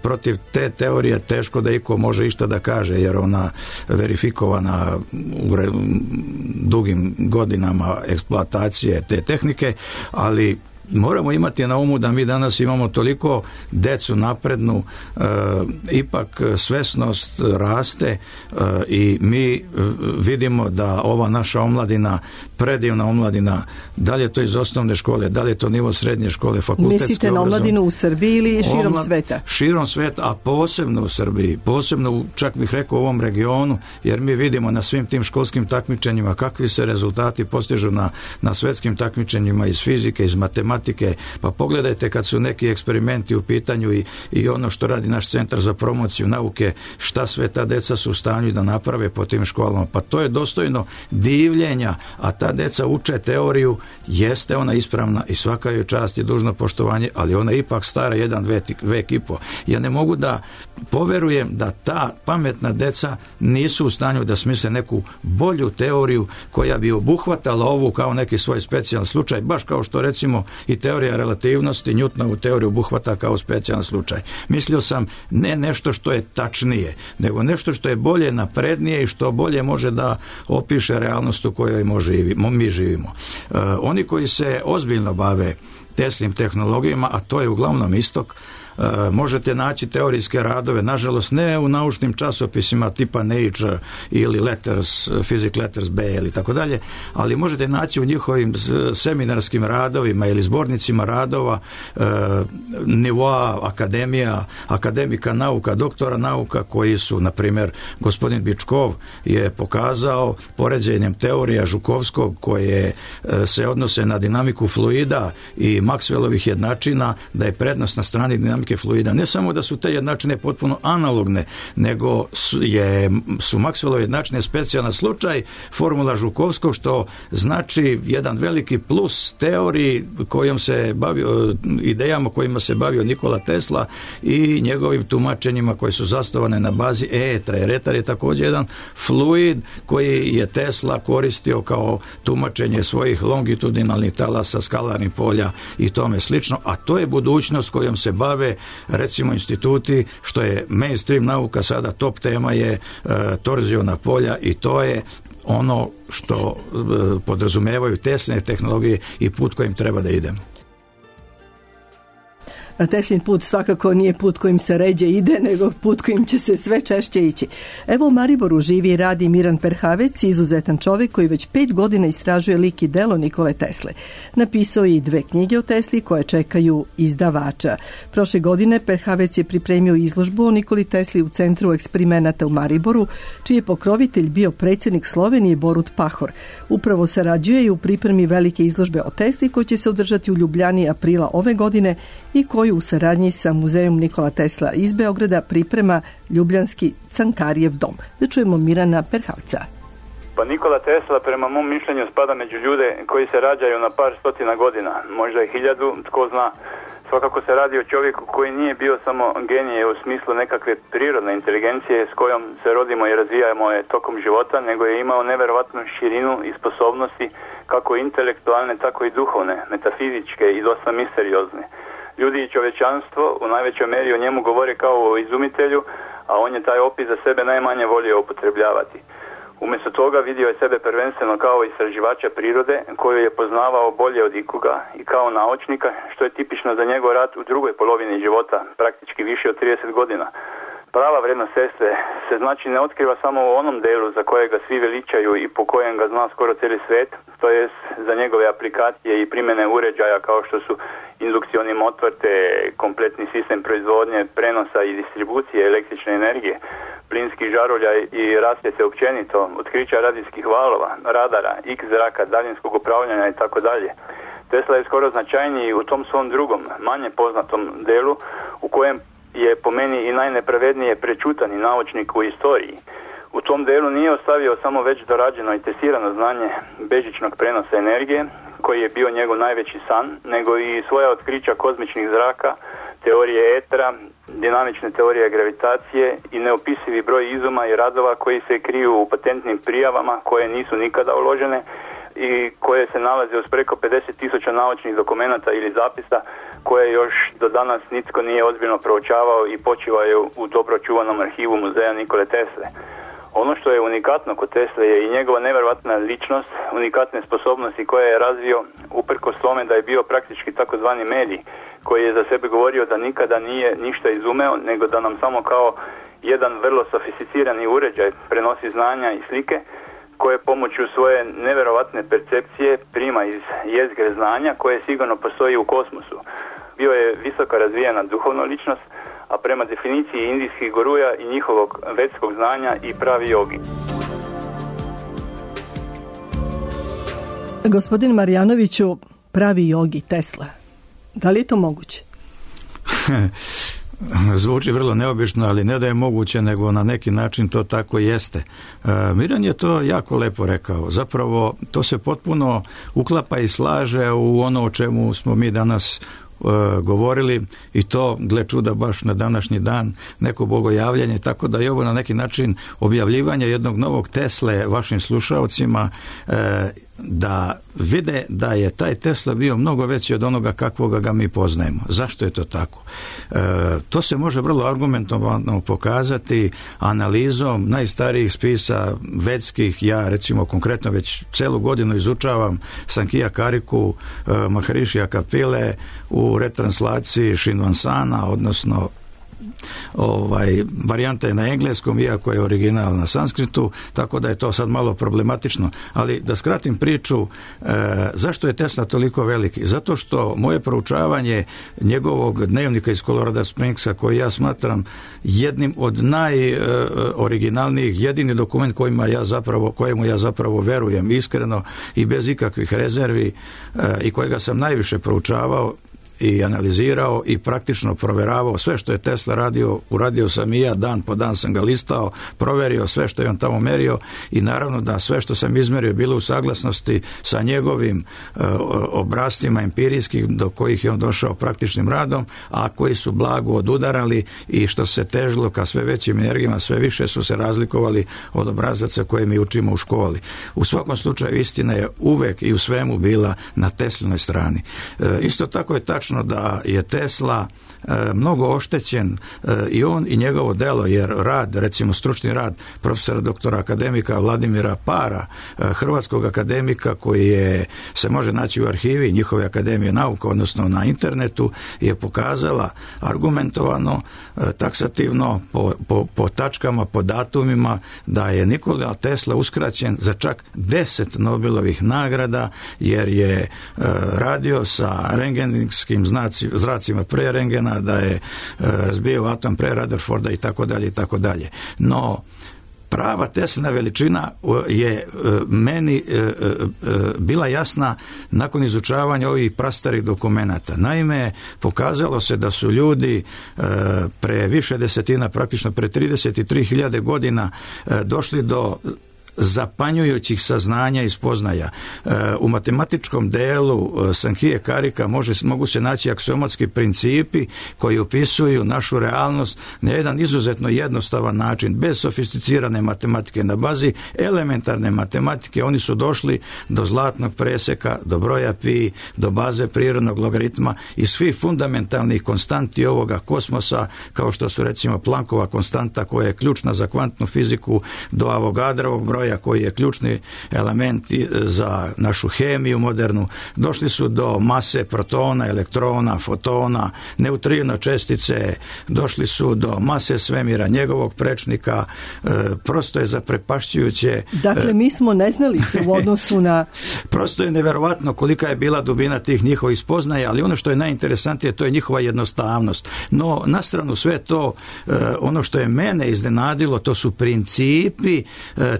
Protiv te teorije teško da iko može išta da kaže, jer ona verifikovana u dugim godinama eksploatacije te tehnike, ali moramo imati na umu da mi danas imamo toliko decu naprednu, ipak svesnost raste i mi vidimo da ova naša omladina, predivna omladina, da li je to iz osnovne škole, da li je to nivo srednje škole, fakultetske obrazovanje. Mislite na omladinu u Srbiji ili širom sveta? Širom sveta, a posebno u Srbiji, posebno čak bih rekao u ovom regionu, jer mi vidimo na svim tim školskim takmičenjima kakvi se rezultati postižu na svetskim takmičenjima iz fizike, iz matematike. Pa pogledajte kad su neki eksperimenti u pitanju i ono što radi naš centar za promociju nauke, šta sve ta deca su u stanju da naprave po tim školama. Pa to je dostojno divljenja, a ta deca uče teoriju, jeste ona ispravna i svaka joj čast i dužno poštovanje, ali ona je ipak stara jedan vek i po. Ja ne mogu da poverujem da ta pametna deca nisu u stanju da smisle neku bolju teoriju koja bi obuhvatala ovu kao neki svoj specijalan slučaj, baš kao što recimo i teorija relativnosti Newtonovu teoriju obuhvata kao specijalan slučaj. Mislio sam ne nešto što je tačnije, nego nešto što je bolje, naprednije i što bolje može da opiše realnost u kojoj mi živimo. Oni koji se ozbiljno bave Teslinim tehnologijama, a to je uglavnom istok, možete naći teorijske radove, nažalost ne u naučnim časopisima tipa Nature ili Letters, Physics Letters B ili tako dalje, ali možete naći u njihovim seminarskim radovima ili zbornicima radova nivoa akademija, akademika nauka, doktora nauka koji su, na primjer, gospodin Bičkov je pokazao poređenjem teorija Žukovskog koje se odnose na dinamiku fluida i Maxwellovih jednačina, da je prednost na strani dinamike fluida. Ne samo da su te jednačine potpuno analogne, nego su Maxwellove jednačine specijalan slučaj formula Žukovskog, što znači jedan veliki plus teoriji kojom se bavio, idejama kojima se bavio Nikola Tesla i njegovim tumačenjima koje su zasnovane na bazi etra. Jer etar je također jedan fluid koji je Tesla koristio kao tumačenje svojih longitudinalnih talasa, skalarnih polja i tome slično, a to je budućnost kojom se bave recimo instituti, što je mainstream nauka sada, top tema je torziona polja i to je ono što podrazumevaju Tesline tehnologije i put kojim treba da idemo. Teslin put svakako nije put kojim se ređe ide, nego put kojim će se sve češće ići. Evo u Mariboru živi i radi Miran Perhavec, izuzetan čovjek koji već 5 godina istražuje lik i delo Nikole Tesle. Napisao je i 2 knjige o Tesli koje čekaju izdavača. Prošle godine Perhavec je pripremio izložbu o Nikoli Tesli u Centru eksperimenata u Mariboru, čiji je pokrovitelj bio predsjednik Slovenije Borut Pahor. Upravo sarađuje i u pripremi velike izložbe o Tesli koji će se održati u Ljubljani aprila ove godine i koju u saradnji sa Muzejom Nikola Tesla iz Beograda priprema ljubljanski Cankarijev dom. Da čujemo Mirana Perhavca. Pa Nikola Tesla prema mom mišljenju spada među ljude koji se rađaju na par stotina godina, možda i 1000, tko zna. Svakako se radi o čovjeku koji nije bio samo genije u smislu nekakve prirodne inteligencije s kojom se rodimo i razvijamo je tokom života, nego je imao neverovatnu širinu i sposobnosti kako intelektualne, tako i duhovne, metafizičke i dosta misteriozne. Ljudi i čovječanstvo u najvećoj meri o njemu govore kao o izumitelju, a on je taj opis za sebe najmanje volio upotrebljavati. Umjesto toga vidio je sebe prvenstveno kao istraživača prirode koju je poznavao bolje od ikoga i kao naučnika, što je tipično za njegov rad u drugoj polovini života, praktički više od 30 godina. Prava vrednost Tesle se znači ne otkriva samo u onom delu za kojega svi veličaju i po kojem ga zna skoro cijeli svijet, to jest za njegove aplikacije i primjene uređaja kao što su indukcioni motor te kompletni sistem proizvodnje, prenosa i distribucije električne energije, plinskih žarulja i rasvjete općenito, otkrića radijskih valova, radara, X zraka, daljinskog upravljanja i tako dalje. Tesla je skoro značajniji u tom svom drugom, manje poznatom delu u kojem je po meni i najnepravednije prečutani naučnik u istoriji. U tom delu nije ostavio samo već dorađeno i testirano znanje bežičnog prenosa energije, koji je bio njegov najveći san, nego i svoja otkrića kozmičnih zraka, teorije etera, dinamične teorije gravitacije i neopisivi broj izuma i radova koji se kriju u patentnim prijavama koje nisu nikada uložene i koje se nalaze uz preko 50.000 naučnih dokumenata ili zapisa koje još do danas nitko nije ozbiljno proučavao i počivaju u dobro čuvanom arhivu Muzeja Nikole Tesle. Ono što je unikatno kod Tesle je i njegova nevjerojatna ličnost, unikatne sposobnosti koje je razvio uprkos tome da je bio praktički takozvani medij koji je za sebe govorio da nikada nije ništa izumeo, nego da nam samo kao jedan vrlo sofisticirani uređaj prenosi znanja i slike koje pomoću svoje nevjerovatne percepcije prima iz jezgre znanja koje sigurno postoji u kosmosu. Bio je visoko razvijena duhovna ličnost, a prema definiciji indijskih guruja i njihovog vedskog znanja i pravi jogi. Gospodin Marjanoviću, pravi jogi Tesla. Da li je to moguće? Zvuči vrlo neobično, ali ne da je moguće, nego na neki način to tako jeste. Miran je to jako lepo rekao. Zapravo, to se potpuno uklapa i slaže u ono o čemu smo mi danas govorili i to, gle čuda, baš na današnji dan neko bogojavljanje, tako da je ovo na neki način objavljivanje jednog novog Tesle vašim slušaocima, da vide da je taj Tesla bio mnogo veći od onoga kakvoga ga mi poznajemo. Zašto je to tako? To se može vrlo argumentovano pokazati analizom najstarijih spisa vedskih. Ja recimo konkretno već celu godinu izučavam Sankija Kariku, Maharishija Kapile u u retranslaciji Shinvansana, odnosno varijanta je na engleskom, iako je original na sanskritu, tako da je to sad malo problematično. Ali da skratim priču, zašto je Tesla toliko veliki? Zato što moje proučavanje njegovog dnevnika iz Colorado Springsa, koji ja smatram jednim od najoriginalnijih, jedini dokument kojemu ja zapravo verujem iskreno i bez ikakvih rezervi i kojega sam najviše proučavao i analizirao i praktično proveravao sve što je Tesla radio, uradio sam i ja, dan po dan sam ga listao, proverio sve što je on tamo merio i naravno da sve što sam izmerio bilo u saglasnosti sa njegovim obrascima empirijskih do kojih je on došao praktičnim radom, a koji su blago odudarali i što se težilo ka sve većim energijama, sve više su se razlikovali od obrazaca koje mi učimo u školi. U svakom slučaju istina je uvek i u svemu bila na Teslinoj strani. Isto tako je tačno da je Tesla mnogo oštećen i on i njegovo delo, jer rad, recimo stručni rad profesora doktora akademika Vladimira Para, hrvatskog akademika koji se može naći u arhivi njihove akademije nauka, odnosno na internetu, je pokazala argumentovano, taksativno po tačkama, po datumima da je Nikola Tesla uskraćen za čak 10 Nobelovih nagrada jer je radio sa rengenskim zracima pre rengena, da je razbijao atom pre Rutherforda i tako dalje i tako dalje. No, prava Teslina veličina je meni bila jasna nakon izučavanja ovih prastarih dokumenata. Naime, pokazalo se da su ljudi pre više desetina, praktično pre 33.000 godina došli do zapanjujućih saznanja i spoznaja. U matematičkom delu Sankhije Karika mogu se naći aksiomatski principi koji opisuju našu realnost na jedan izuzetno jednostavan način, bez sofisticirane matematike. Na bazi elementarne matematike oni su došli do zlatnog preseka, do broja pi, do baze prirodnog logaritma i svih fundamentalnih konstanti ovoga kosmosa, kao što su recimo Planckova konstanta koja je ključna za kvantnu fiziku, do Avogadrovog broja koji je ključni element za našu hemiju modernu. Došli su do mase protona, elektrona, fotona, neutrino čestice, došli su do mase svemira, njegovog prečnika. Prosto je zaprepašćujuće. Dakle, mi smo neznalice u odnosu na... Prosto je neverovatno kolika je bila dubina tih njihovih spoznaja, ali ono što je najinteresantnije, to je njihova jednostavnost. No, na stranu sve to, ono što je mene iznenadilo, to su principi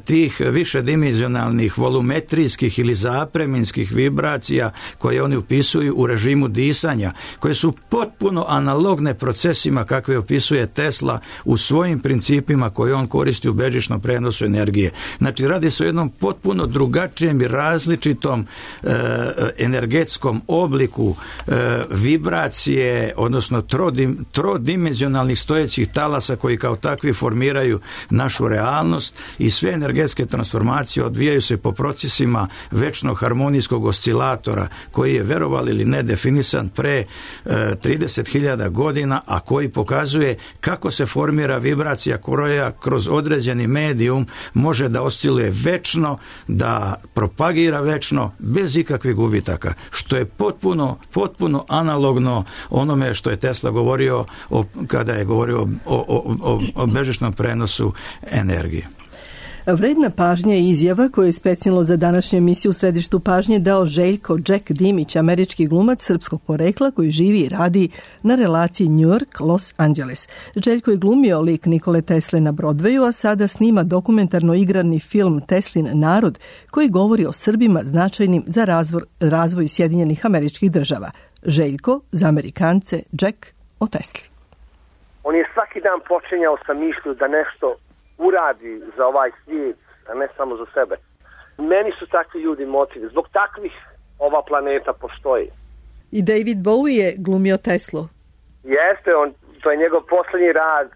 tih višedimenzionalnih volumetrijskih ili zapreminskih vibracija koje oni upisuju u režimu disanja, koje su potpuno analogne procesima kakve opisuje Tesla u svojim principima koje on koristi u bežičnom prenosu energije. Znači, radi se o jednom potpuno drugačijem i različitom energetskom obliku vibracije, odnosno trodimenzionalnih stojećih talasa koji kao takvi formiraju našu realnost i sve energetske transformacije odvijaju se po procesima večnog harmonijskog oscilatora koji je, verovali ili ne, definisan pre 30.000 godina, a koji pokazuje kako se formira vibracija koja kroz određeni medijum može da osciluje večno, da propagira večno, bez ikakvih gubitaka, što je potpuno analogno onome što je Tesla govorio kada je govorio o bežičnom prenosu energije. Vredna pažnja i izjava koju je specijalno za današnju emisiju u središtu pažnje dao Željko Jack Dimić, američki glumac srpskog porekla koji živi i radi na relaciji New York-Los Angeles. Željko je glumio lik Nikole Tesle na Broadwayu, a sada snima dokumentarno igrani film Teslin narod koji govori o Srbima značajnim za razvoj Sjedinjenih Američkih Država. Željko, za Amerikance, Jack o Tesli. On je svaki dan počinjao sa mišlju da nešto uradi za ovaj svijet, a ne samo za sebe. Meni su takvi ljudi motivi. Zbog takvih ova planeta postoji. I David Bowie je glumio Teslu. Jeste, to je njegov posljednji rad.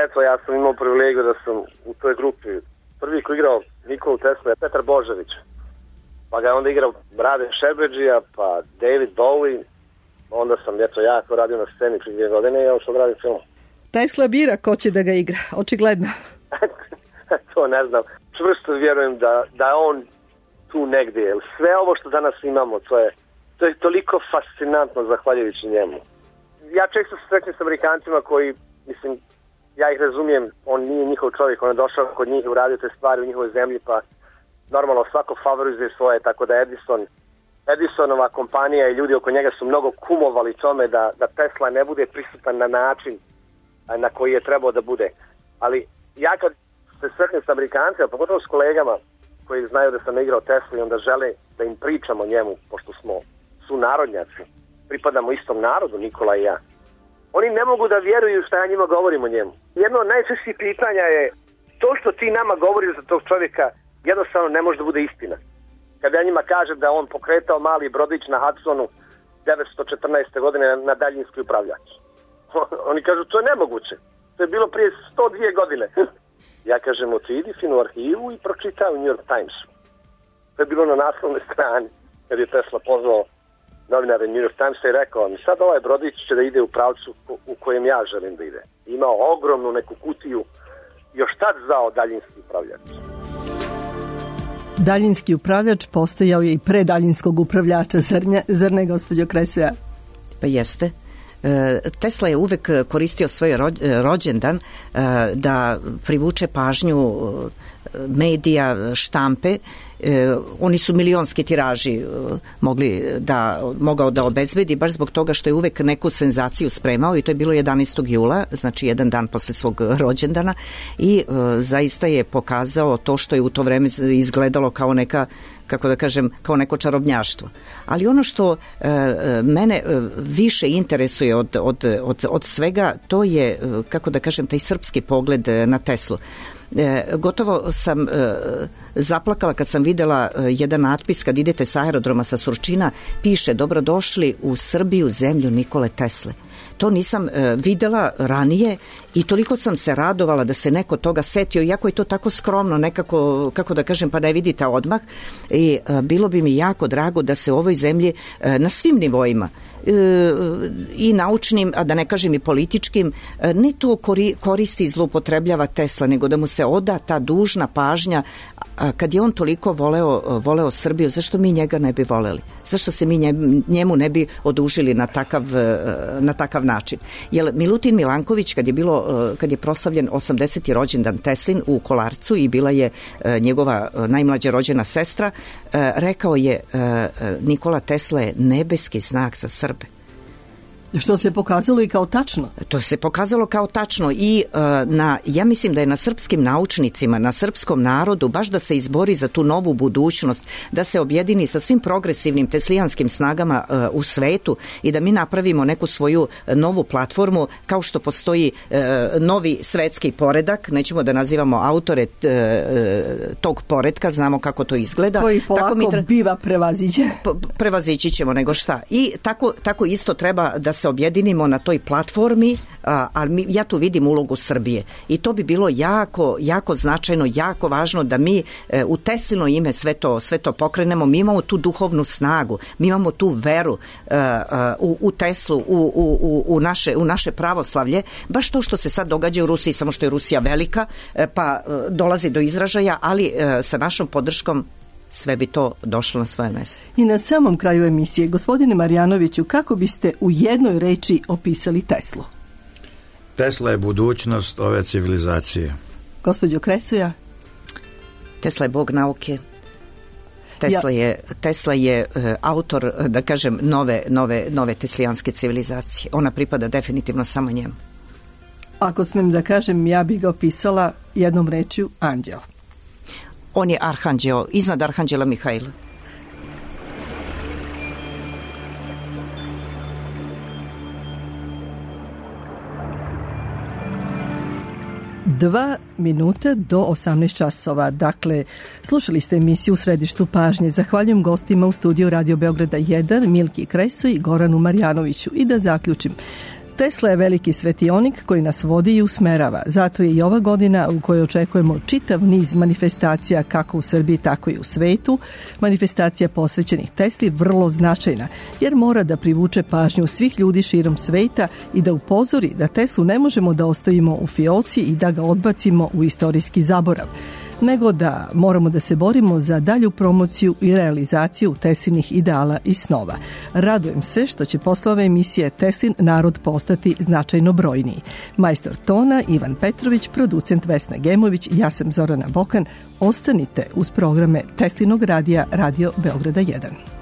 Eto, ja sam imao privilegiju da sam u toj grupi. Prvi ko igrao Nikolu Tesla je Petar Božović. Pa ga je onda igrao Rade Šerbedžija, pa David Bowie. Onda sam, ja to radio na sceni prije 2 godine i on što radim film. Tesla bira ko će da ga igra, očigledno. To ne znam. Čvrsto vjerujem da je on tu negdje. Sve ovo što danas imamo, to je toliko fascinantno zahvaljujući njemu. Ja često se srećem s Amerikancima koji, mislim, ja ih razumijem, on nije njihov čovjek, on je došao kod njih i uradio te stvari u njihovoj zemlji, pa normalno svako favorizuje svoje, tako da Edisonova kompanija i ljudi oko njega su mnogo kumovali tome da Tesla ne bude prisutan na način na koji je trebao da bude. Ali ja kad se sretnem s Amerikancima, pogotovo s kolegama koji znaju da sam igrao Tesla i onda žele da im pričamo o njemu, pošto smo sunarodnjaci, pripadamo istom narodu, Nikola i ja. Oni ne mogu da vjeruju šta ja njima govorim o njemu. Jedno od najčešćih pitanja je to što ti nama govoriš za tog čovjeka jednostavno ne može da bude istina. Kada ja njima kažem da on pokretao mali brodić na Hudsonu 1914. godine na daljinski upravljač. Oni kažu to je nemoguće. To je bilo prije 102 godine. Ja kažem, otidi finu arhivu i pročitaj u New York Timesu. To je bilo na naslovnoj strani kad je Tesla pozvao novinare New York Timesa i rekao mi sad ovaj brodić će da ide u pravcu u kojem ja želim da ide. Imao ogromnu neku kutiju još tad zvao daljinski upravljač. Daljinski upravljač postojao je i pre daljinskog upravljača, zar ne, gospođo Kresoja? Pa jeste. Tesla je uvek koristio svoj rođendan da privuče pažnju medija, štampe. Oni su milionski tiraži mogao da obezbedi baš zbog toga što je uvek neku senzaciju spremao i to je bilo 11. jula, znači jedan dan posle svog rođendana i zaista je pokazao to što je u to vreme izgledalo kao neka, kako da kažem, kao neko čarobnjaštvo. Ali ono što mene više interesuje od svega, to je, kako da kažem, taj srpski pogled na Teslu. Gotovo sam zaplakala kad sam videla jedan natpis kad idete sa aerodroma sa Surčina, piše dobrodošli u Srbiju, zemlju Nikole Tesle. To nisam videla ranije i toliko sam se radovala da se neko toga setio, iako je to tako skromno nekako, kako da kažem, pa ne vidite odmah, i bilo bi mi jako drago da se u ovoj zemlji na svim nivoima i naučnim, a da ne kažem i političkim, ne to koristi i zloupotrebljava Tesla, nego da mu se oda ta dužna pažnja. Kad je on toliko voleo Srbiju, zašto mi njega ne bi voleli? Zašto se mi njemu ne bi odužili na takav način? Jer Milutin Milanković, kad je proslavljen 80. rođendan Teslin u Kolarcu i bila je njegova najmlađa rođena sestra, rekao je Nikola Tesla je nebeski znak za Srbe. Što se pokazalo i kao tačno. To se pokazalo kao tačno i ja mislim da je na srpskim naučnicima, na srpskom narodu baš da se izbori za tu novu budućnost, da se objedini sa svim progresivnim teslijanskim snagama u svetu i da mi napravimo neku svoju novu platformu, kao što postoji novi svetski poredak, nećemo da nazivamo autore tog poredka, znamo kako to izgleda. Koji polako biva prevaziđen. Prevazići ćemo nego šta. I tako isto treba da se objedinimo na toj platformi, ali ja tu vidim ulogu Srbije i to bi bilo jako, jako značajno, jako važno da mi u Teslino ime sve to pokrenemo. Mi imamo tu duhovnu snagu, mi imamo tu veru u Teslu, u naše pravoslavlje, baš to što se sad događa u Rusiji, samo što je Rusija velika, pa dolazi do izražaja, ali sa našom podrškom sve bi to došlo na svoje mesto. I na samom kraju emisije, gospodine Marjanoviću, kako biste u jednoj reči opisali Teslu? Tesla je budućnost ove civilizacije. Gospođo Kresoja? Tesla je bog nauke. Tesla je autor, da kažem, nove teslijanske civilizacije. Ona pripada definitivno samo njemu. Ako smem da kažem, ja bih ga opisala jednom rečju anđeo. On je arhanđeo, iznad arhanđela Mihajla. Dva minuta do 18 časova. Dakle, slušali ste emisiju U središtu pažnje. Zahvaljujem gostima u studiju Radio Beograda 1, Milki Kresoj i Goranu Marjanoviću. I da zaključim. Tesla je veliki svetionik koji nas vodi i usmerava. Zato je i ova godina u kojoj očekujemo čitav niz manifestacija kako u Srbiji, tako i u svetu. Manifestacija posvećenih Tesli vrlo značajna, jer mora da privuče pažnju svih ljudi širom sveta i da upozori da Teslu ne možemo da ostavimo u fioci i da ga odbacimo u istorijski zaborav. nego da moramo da se borimo za dalju promociju i realizaciju Teslinih ideala i snova. Radujem se što će posle ove emisije Teslin narod postati značajno brojniji. Majstor tona Ivan Petrović, producent Vesna Gemović, ja sam Zorana Bokan. Ostanite uz programe Teslinog radija Radio Beograda 1.